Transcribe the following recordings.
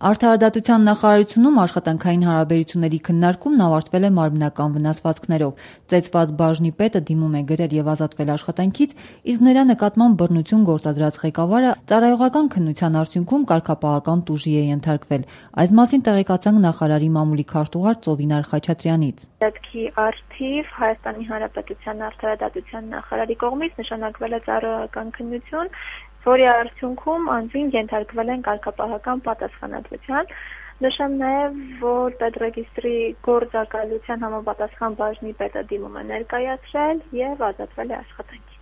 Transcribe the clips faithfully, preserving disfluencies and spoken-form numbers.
Արդարադատության նախարարությունում աշխատանքային հարաբերությունների քննարկումն ավարտվել է մարմնական վնասվածքներով։ Ծեծված բաժնի պետը դիմում է գրել եւ ազատվել աշխատանքից, իսկ նրա նկատմամբ բռնություն գործադրած ղեկավարը ծառայողական քննության արդյունքում կարգապահական տուժի է ենթարկվել։ Այս մասին տեղեկացանք նախարարի մամուլի քարտուղար Ծովինար Խաչատրյանից։ Դեպքի արդիվ Հայաստանի Հանրապետության արդարադատության նախարարի կողմից նշանակվել է ծառայողական քննություն, որի արդյունքում անձին ենթարկվել են կարգապահական պատասխանատվության։ Նշեմ նաև, որ պետռեգիստրի գործակալության համապատասխան բաժնի պետը դիմում է ներկայացրել եւ ազատվել է աշխատանքից։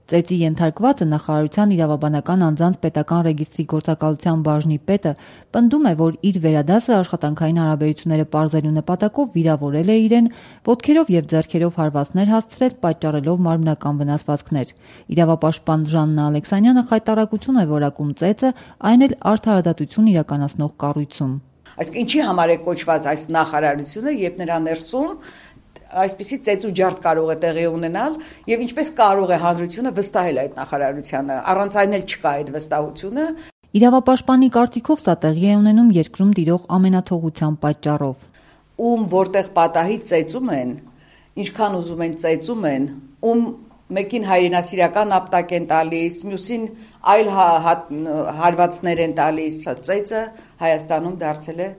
Ծեծի ենթարկվածը նախարարության իրավաբանական անձանց պետական ռեգիստրի գործակալության բաժնի պետը պնդում է, որ իր վերադասը աշխատանքային հարաբերությունները պարզելու նպատակով վիրավորել է իրեն, ոտքերով եւ ձեռքերով հարվածներ հասցրել, պատճառելով մարմնական վնասվածքներ։ Իրավապաշտպան Ժաննա Ալեքսանյանը խայտառակություն է որակում ծեծը, այն էլ արդարադատություն իրականացնող կառույցում։ Այսինքն ինչի համար է կոչված այս նախարարությունը, երբ նրա ներսում այսպիսի ծեծու ջարդ կարող է տեղի ունենալ եւ ինչպես կարող է հանրությունը վստահել այդ նախարարությանը, առանց այն էլ չկա այդ վստահությունը։ Իրավապաշտպանի կարծիքով սա տեղի է ունենում երկրում տիրող ամենաթողության պատճառով։ Ում որտեղ պատահի ծեծում են, ինչքան ուզում են ծեծում են, ում մեկին հայրենասիրական ապտակ են տալիս, մյուսին այլ հարվածներ են տալիս, ծեծը Հայաստանում դարձել է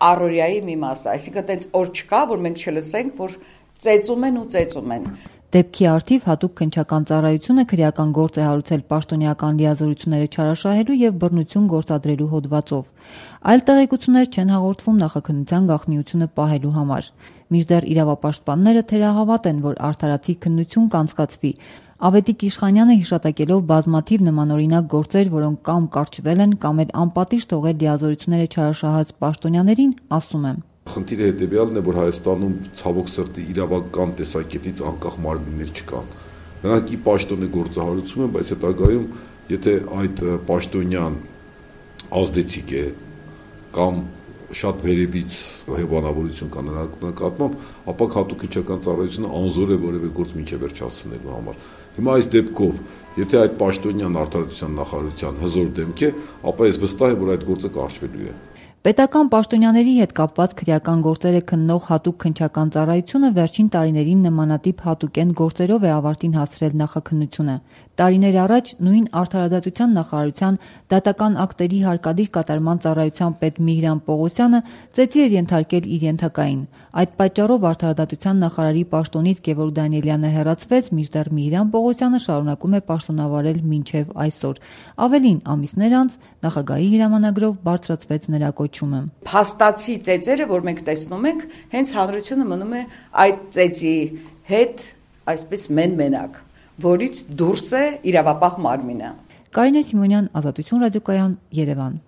առօրյայի մի մաս, այսինքն այդպես օր չկա, որ մենք չլսենք, որ ծեծում են ու ծեծում են։ Դեպքի արդիվ հատուկ քննչական ծառայությունը քրեական գործ է հարուցել պաշտոնյական լիազորությունները չարաշահելու եւ բռնություն գործադրելու հոդվածով։ Այլ տեղեկություններ չեն հաղորդվում նախաքննության գաղտնիությունը պահելու համար։ Մինչդեռ իրավապաշտպանները թերահավատ են, որ արդարացի քննություն կանցկացվի։ Ավետիք Իշխանյանը հիշատակելով բազմաթիվ նմանօրինակ գործեր, որոնք կամ կարճվել են, կամ էլ անպատիժ թողել լիազորությունները չարաշահած պաշտոնյաներին, ասում է. Խնդիրը հետևյալն է, որ Հայաստանում ցավոք սրտի իրավական տեսակետից անկախ մարմիններ չկան։ Նրանք ի պաշտոն է գործահարուցում են, բայց հետագայում, եթե այդ պաշտոնյան ազդեցիկ է կամ շատ վերևից հեվանավորություն կա նրա նկատմամբ, ապա հատուկ քննչական ծառայությունը անզոր է որևէ գործ մինչև վերջ հասցնելու համար։ Հիմա այս դեպքով, եթե այդ պաշտոնյան արդարադատության նախարարության հզոր դեմք է, ապա ես վստահ եմ, որ այդ գործը կարճվելու է։ Պետական պաշտոնյաների հետ կապված քրեական գործերը քննող հատուկ քննչական ծառայությունը վերջին տարիներին նմանատիպ հատուկեն գործերով է ավարտին հասցրել նախաքննությունը։ Տարիներ առաջ նույն արդարադատության նախարարության դատական ակտերի հարկադիր կատարման ծառայության պետ Միհրան Պողոսյանը ծեծի էր ենթարկել իր ենթակային։ Այդ պատճառով արդարադատության նախարարի պաշտոնից Գևորգ Դանիելյանը հեռացվեց, մինչդեռ Միհրան Պողոսյանը շարունակում է պաշտոնավարել մինչև այսօր։ Ավելին, ամիսներ անց նախագահի հրամանագրով բարձրացվեց նրա կոչումը։ Փաստացի ծեծերը, որ մենք տեսնում ենք, հենց հանրությունը մնում է այդ ծեծի հետ այսպես մեն-մենակ, որից դուրս է իրավապահ մարմինը։ Կարինե Սիմոնյան, Ազատություն ռադիոկայան, Երևան։